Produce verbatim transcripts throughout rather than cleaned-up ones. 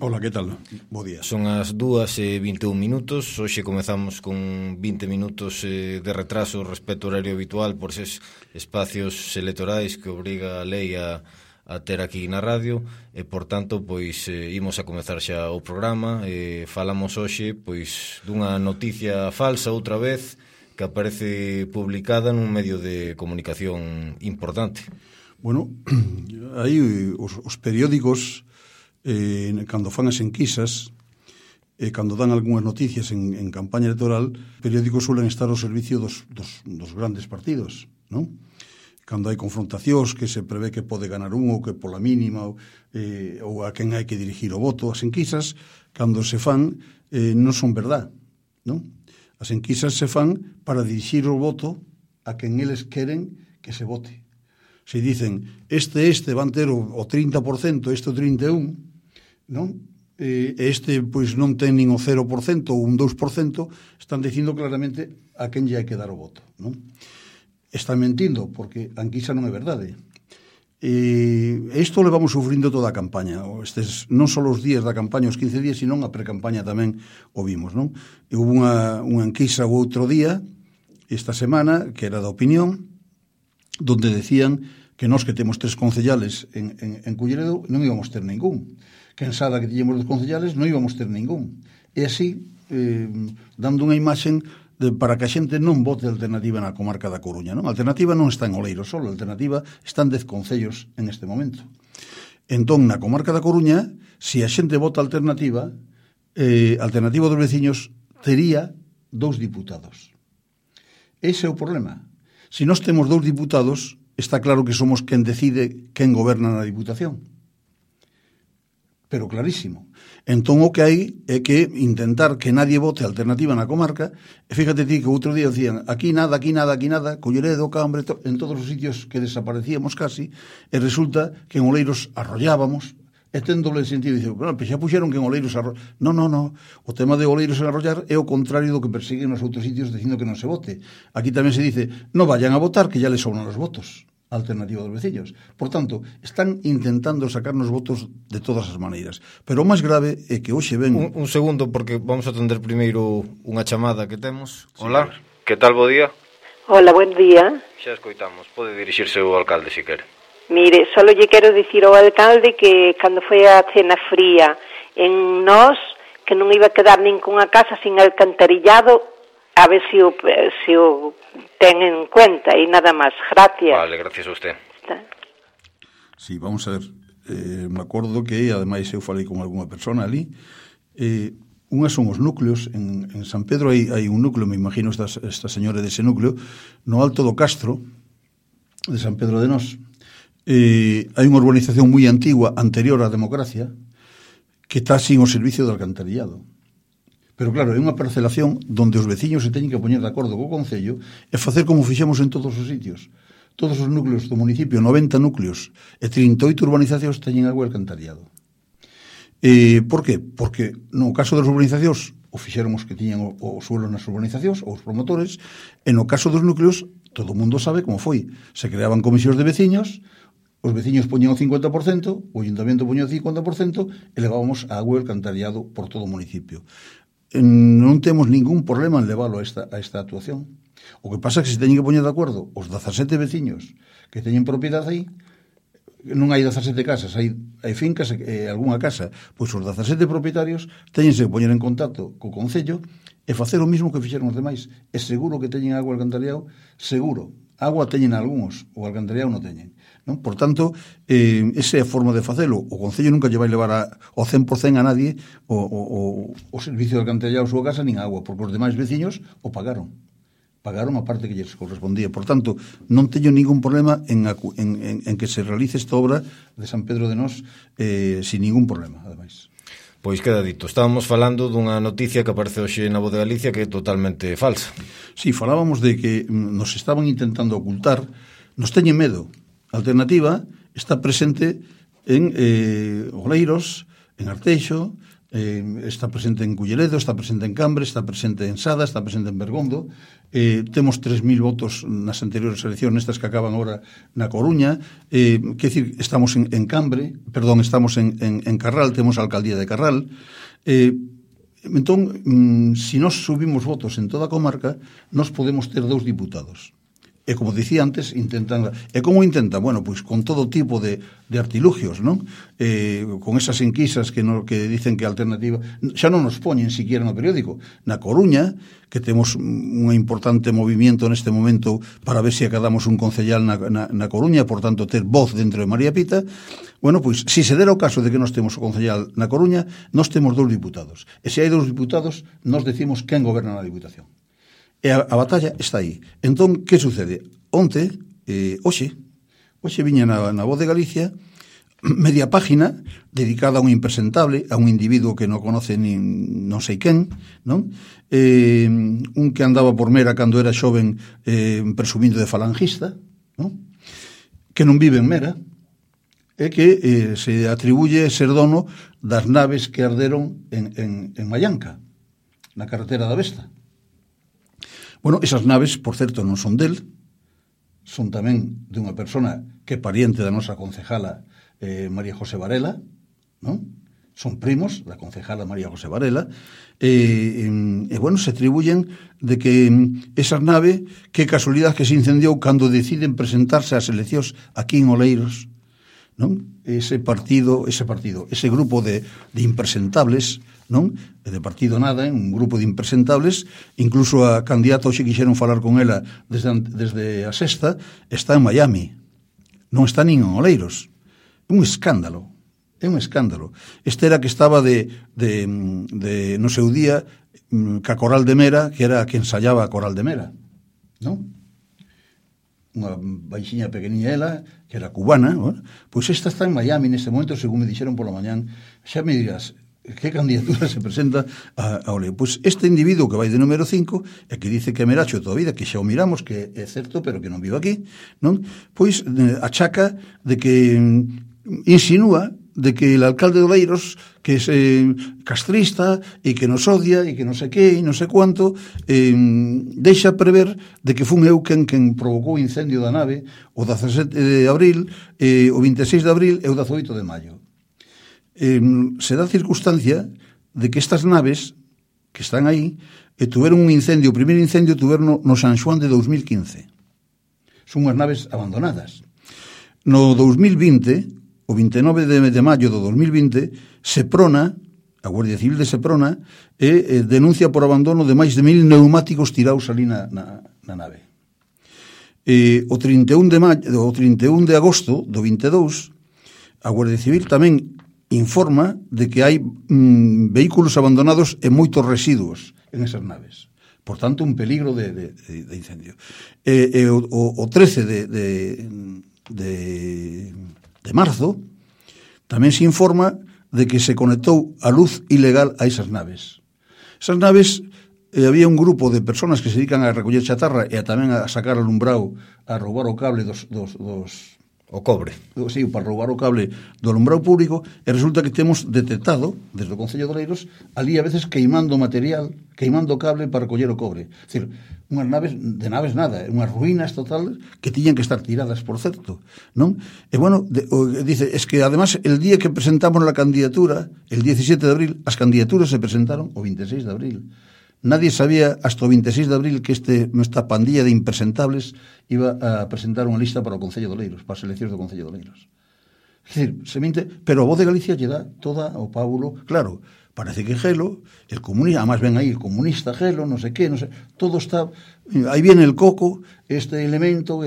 Hola, que tal? Bo día. Son as dúas e vinte e un minutos. Hoxe comezamos con vinte minutos de retraso respecto ao horario habitual por eses espacios electorais que obriga a lei a, a ter aquí na radio e, por tanto, pois eh, imos a comezar xa o programa. Eh, falamos hoxe pois dunha noticia falsa outra vez que aparece publicada nun medio de comunicación importante. Bueno, aí os, os periódicos eh, cando fan as enquisas e eh, cando dan algunhas noticias en, en campaña electoral, periódicos suelen estar ao servicio dos, dos, dos grandes partidos, non? Cando hai confrontacións que se prevé que pode ganar un ou que pola mínima ou, eh, ou a quen hai que dirigir o voto, as enquisas cando se fan eh, non son verdad, non? As enquisas se fan para dirixir o voto a quen eles queren que se vote. Se dicen, este este van ter o, o trinta por cento, este o trinta e un por cento, non? E este pois non ten nin o cero por cento ou un dous por cento, están dicindo claramente a quen lle hai que dar o voto, non? Están mentindo, porque a enquisa non é verdade. E isto le vamos sufrindo toda a campaña. Estes non só os días da campaña, os quince días, sino a precampaña tamén o vimos, non? E houve unha, unha enquisa o outro día, esta semana, que era da Opinión, donde decían que nós que temos tres concellales en, en, en Culleredo non íbamos ter ningún. Que en Sada que tiñemos dos concellales non íbamos ter ningún. E así, eh, dando unha imaxen de, para que a xente non vote a alternativa na comarca da Coruña, non? A alternativa non está en Oleiros solo, a alternativa está en dez concellos en este momento. Entón, na comarca da Coruña, se a xente vota a alternativa, eh, a alternativa dos veciños tería dous diputados. Ese é o problema. Se nós temos dous diputados, está claro que somos quen decide quen goberna na Diputación. Pero clarísimo. Entón o que hai é que intentar que nadie vote a alternativa na comarca, e fíjate ti que outro día decían aquí nada, aquí nada, aquí nada, Culleredo, Cambre, to, en todos os sitios que desaparecíamos casi, e resulta que en Oleiros arrollábamos, e ten doble sentido, e dice, bueno, pues xa puxeron que en Oleiros arrollar. Non, non, non, o tema de Oleiros en arrollar é o contrario do que persiguen nos outros sitios dicindo que non se vote. Aquí tamén se dice, non vayan a votar que ya les sobran os votos. Alternativa dos veciños. Por tanto, están intentando sacarnos votos de todas as maneiras. Pero o máis grave é que hoxe ven... Un, un segundo, porque vamos a atender primeiro unha chamada que temos. Sí. Hola, que tal, bo día? Hola, buen día. Xa escoitamos, pode dirixirse ao alcalde se quere. Mire, solo lle quero dicir ao alcalde que cando foi a cena fría en Nós, que non iba a quedar ninguna casa sin alcantarillado, a ver se o, se o ten en cuenta e nada máis. Gracias. Vale, gracias a usted. Sí, vamos a ver. Eh, me acordo que, ademais, eu falei con algunha persona ali. Eh, unhas son os núcleos. En, en San Pedro hai, hai un núcleo, me imagino esta, esta señora dese núcleo, no Alto do Castro, de San Pedro de Nós. Eh, hai unha urbanización moi antigua, anterior á democracia, que está sin o servicio de alcantarillado. Pero claro, é unha parcelación donde os veciños se teñen que poñer de acordo co Concello e facer como fixemos en todos os sitios. Todos os núcleos do municipio, noventa núcleos e trinta e oito urbanizacións teñen agua e alcantariado. E, por qué? Porque no caso das urbanizacións o fixeron os que tiñan o, o suelo nas urbanizacións, ou os promotores, e no caso dos núcleos todo o mundo sabe como foi. Se creaban comisións de veciños, os veciños poñían o cincuenta por cento, o ayuntamiento poñía o cincuenta por cento e levábamos a agua e alcantariado por todo o municipio. Non temos ningún problema en leválo a esta, a esta actuación. O que pasa é que se teñen que poñer de acordo os dezasete veciños que teñen propiedade aí, non hai dezasete casas, hai, hai fincas e eh, algunha casa, pois os dezasete propietarios teñense que poñer en contacto co Concello e facer o mismo que fixeron os demais. É seguro que teñen agua alcantarillado, seguro. Agua teñen algúns, o alcantarillado non teñen. Non? Por tanto, eh, esa é a forma de facelo. O Concello nunca lle vai levar a, ao cen por cento a nadie o, o, o, o servicio de alcantarillado a súa casa nin a agua, porque os demais veciños o pagaron. Pagaron a parte que lles correspondía. Por tanto, non teño ningún problema en, en, en, en que se realice esta obra de San Pedro de Nós eh, sin ningún problema, ademais. Pois queda dito, estábamos falando dunha noticia que aparece hoxe na Voz de Galicia que é totalmente falsa. Sí, falábamos de que nos estaban intentando ocultar, nos teñen medo. A alternativa está presente en eh, Oleiros, en Arteixo, eh, está presente en Culleredo, está presente en Cambre, está presente en Sada, está presente en Bergondo, eh, temos tres mil votos nas anteriores eleccións, nestas que acaban ahora na Coruña, eh, que decir, estamos en, en Cambre, perdón, estamos en, en, en Carral, temos a alcaldía de Carral, eh, entón, mm, si nos subimos votos en toda a comarca, nos podemos ter dous diputados. E como dicía antes, intentan... E como intentan? Bueno, pois con todo tipo de, de artilugios, non? Eh, con esas enquisas que, no, que dicen que a alternativa... Xa non nos poñen siquiera no periódico. Na Coruña, que temos un importante movimento neste momento para ver se acadamos un concellal na, na, na Coruña, por tanto, ter voz dentro de María Pita, bueno, pois, si se dera o caso de que nos temos o concellal na Coruña, nos temos dous diputados. E se hai dous diputados, nos decimos quen goberna na Diputación. E a, a batalla está aí. Entón, que sucede? Onte, eh, hoxe, hoxe viña na, na Voz de Galicia media página dedicada a un impresentable, a un individuo que non conoce nin non sei quen, non? Eh, un que andaba por Mera cando era xoven eh, presumindo de falangista, non? Que non vive en Mera, e que eh, se atribuye ser dono das naves que arderon en, en, en Mallanca, na carretera da Vesta. Bueno, esas naves, por certo, non son del, son tamén de unha persona que é pariente da nosa concejala eh, María José Varela, non? Son primos da concejala María José Varela, e, e, e bueno, se atribuyen de que esas naves, que casualidade que se incendiou cando deciden presentarse ás eleccións aquí en Oleiros, non? Ese partido, ese partido, ese grupo de, de impresentables, non? De partido nada, un grupo de impresentables, incluso a candidata hoxe quixeron falar con ela desde, desde a sexta, está en Miami, non está nin en Oleiros. É un escándalo, é un escándalo. Este era que estaba de, de, de no seu día, ca Coral de Mera, que era a que ensayaba a Coral de Mera, non? Unha baixiña pequeniña ela, que era cubana, bueno, pois esta está en Miami neste momento, según me dixeron pola mañán. Xa me dirás, que candidatura se presenta a, a Oleo? Pois este individuo que vai de número cinco e que dice que é meracho toda a vida, que xa o miramos, que é certo, pero que non vive aquí, non? Pois eh, achaca de que insinúa de que el alcalde de Oleiros, que é eh, castrista e que nos odia e que non sei que e non sei cuánto, eh, deixa prever de que fun eu quen, quen provocou o incendio da nave o dezasete de abril, eh, o vinte e seis de abril e o dezoito de maio. Eh, se dá circunstancia de que estas naves que están aí eh, tuveron un incendio, o primeiro incendio tuveron no, no San Xoán de dos mil quince. Son unhas naves abandonadas. No dos mil vinte, o vinte e nove de maio do dos mil vinte, Seprona, a Guardia Civil de Seprona, eh, eh, denuncia por abandono de máis de mil neumáticos tirados ali na, na, na nave. Eh, o trinta e un de maio, o trinta e un de agosto do vinte e dous, a Guardia Civil tamén informa de que hai mm, vehículos abandonados e moitos residuos en esas naves. Por tanto, un peligro de, de, de incendio. E, e o, o trece de, de, de, de marzo tamén se informa de que se conectou a luz ilegal a esas naves. Esas naves, eh, había un grupo de personas que se dedican a recoller chatarra e a tamén a sacar alumbrado, a roubar o cable dos... dos, dos o cobre. Sí, para roubar o cable do alumbrado público, e resulta que temos detectado, desde o Concello de Oleiros, ali a veces queimando material, queimando cable para recoller o cobre. É dicir, unhas naves, de naves nada, unhas ruínas total que tiñan que estar tiradas, por certo, non? E bueno, de, o, dice, es que además el día que presentamos la candidatura, el diecisiete de abril, as candidaturas se presentaron o vinte e seis de abril. Nadie sabía hasta o vinte e seis de abril que este, esta pandilla de impresentables iba a presentar unha lista para o Concello de Oleiros, para as eleccións do Concello de Oleiros. É dicir, se mente, pero a Voz de Galicia lle dá toda o pábulo, claro, parece que Gelo, el comunista, además ven aí el comunista Gelo, non sei que, non sei, todo está, aí viene el coco, este elemento,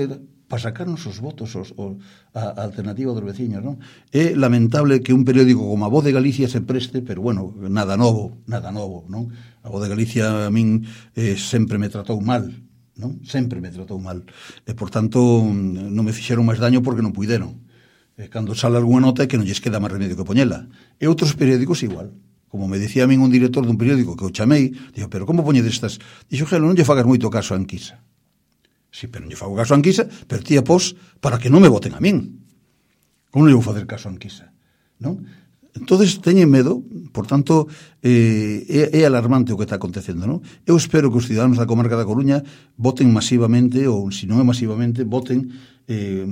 para sacarnos os votos, os, os, a, a alternativa dos veciños, non? É lamentable que un periódico como a Voz de Galicia se preste, pero bueno, nada novo, nada novo, non? A Voz de Galicia a min eh, sempre me tratou mal, non? Sempre me tratou mal. E, por tanto, non me fixeron máis daño porque non puideron. E, cando sale algunha nota é que non lles queda máis remedio que poñela. E outros periódicos igual. Como me decía a min un director dun periódico que o chamei, digo, pero como poñedes estas? Dixo, Gelo, non lle fagas moito caso a Anquisa. Sí, pero non lle fago caso a Anquisa, pero tía pos para que non me voten a min. Como non lle vou facer caso a Anquisa? Non? Entonces teñen medo, por tanto, eh, é, é alarmante o que está acontecendo, non? Eu espero que os ciudadanos da comarca da Coruña voten masivamente, ou se non é masivamente, voten, eh,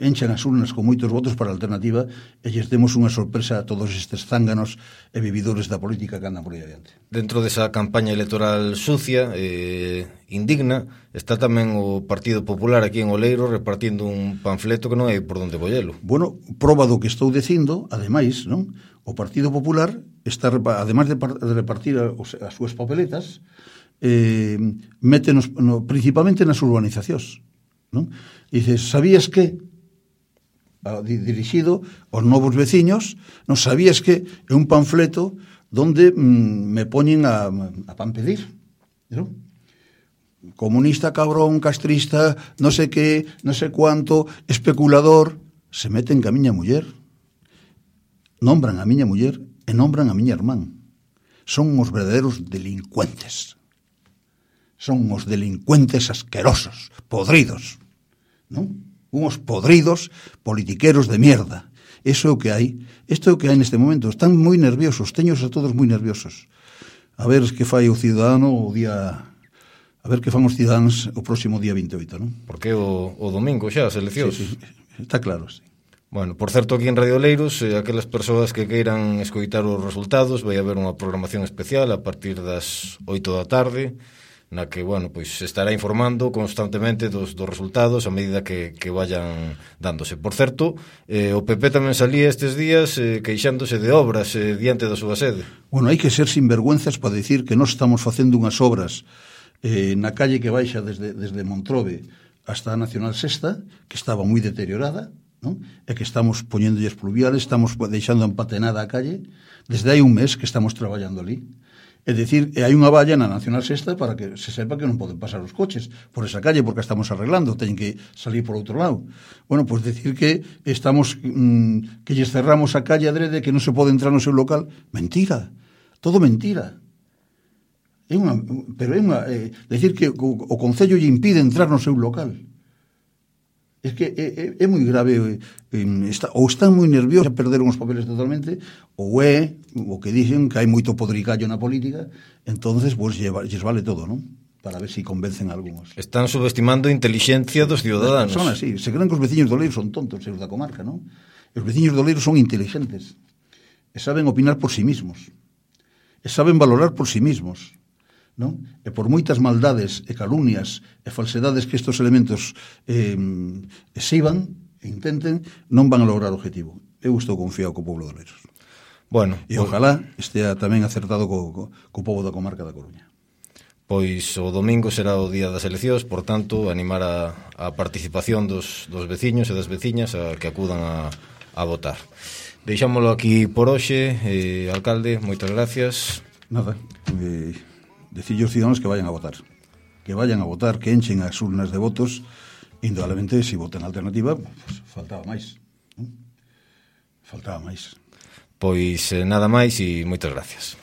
enchan as urnas con moitos votos para a alternativa e lles demos unha sorpresa a todos estes zánganos e vividores da política que andan por aí adiante. Dentro desa campaña electoral sucia, eh, indigna, está tamén o Partido Popular aquí en Oleiro repartindo un panfleto que non hai por onde collelo. Bueno, proba do que estou dicindo, ademais, non? O Partido Popular está, ademais de repartir as súas papeletas, eh, mete nos, no, principalmente nas urbanizacións, non? Dices, sabías que, dirixido aos novos veciños, non sabías que é un panfleto donde mm, me poñen a, a pan pedir, non? Comunista, cabrón, castrista, non sei que, non sei cuánto, especulador, se meten ca miña muller, nombran a miña muller e nombran a miña irmán. Son os verdadeiros delincuentes. Son os delincuentes asquerosos, podridos, non? Unos podridos politiqueros de mierda. Eso é o que hai. Isto é o que hai neste momento. Están moi nerviosos, teños a todos moi nerviosos. A ver que fai o cidadano o día... A ver que fan os cidadáns o próximo día vinte e oito, non? Porque o, o domingo xa, as eleccións. Sí, sí, está claro, sí. Bueno, por certo, aquí en Radio Oleiros, eh, aquelas persoas que queiran escoitar os resultados, vai haber unha programación especial a partir das oito da tarde, na que, bueno, pois estará informando constantemente dos, dos resultados a medida que, que vayan dándose. Por certo, eh, o P P tamén salía estes días eh, queixándose de obras eh, diante da súa sede. Bueno, hai que ser sinvergüenzas para decir que nós estamos facendo unhas obras eh, na calle que baixa desde, desde Montrobe hasta a Nacional Sexta, que estaba moi deteriorada, non? E que estamos poñéndolles pluviales, estamos deixando empatenada a calle, desde hai un mes que estamos traballando ali. É dicir, hai unha valla na Nacional Sexta para que se sepa que non poden pasar os coches por esa calle porque estamos arreglando, teñen que salir por outro lado. Bueno, pois pues decir que estamos mmm, que lles cerramos a calle adrede que non se pode entrar no seu local, mentira, todo mentira. É unha, pero é unha, é, decir que o, o Concello lle impide entrar no seu local. É que é, é, é moi grave, é, está, ou están moi nerviosos, perderon os papeles totalmente, ou é o que dicen que hai moito podricallo na política, entonces pues, lles vale todo, non? Para ver se si convencen a algúns. Están subestimando a inteligencia dos ciudadanos. Son así, se creen que os veciños do Oleiro son tontos, os da comarca, non? Os veciños do Oleiro son inteligentes, e saben opinar por sí mismos, e saben valorar por sí mismos, non? E por moitas maldades e calumnias e falsedades que estes elementos eh, exiban e intenten, non van a lograr o objetivo. Eu estou confiado co povo de Oleiros. Bueno, e ojalá estea tamén acertado co, co, co povo da comarca da Coruña. Pois o domingo será o día das eleccións, por tanto, animar a, a participación dos, dos veciños e das veciñas a que acudan a, a votar. Deixámolo aquí por hoxe, eh, alcalde, moitas gracias. Nada, eh... decirle aos ciudadanos que vayan a votar, que vayan a votar, que enchen as urnas de votos, indudablemente, se si votan a alternativa, pues, faltaba máis, non? Faltaba máis. Pois eh, nada máis e moitas gracias.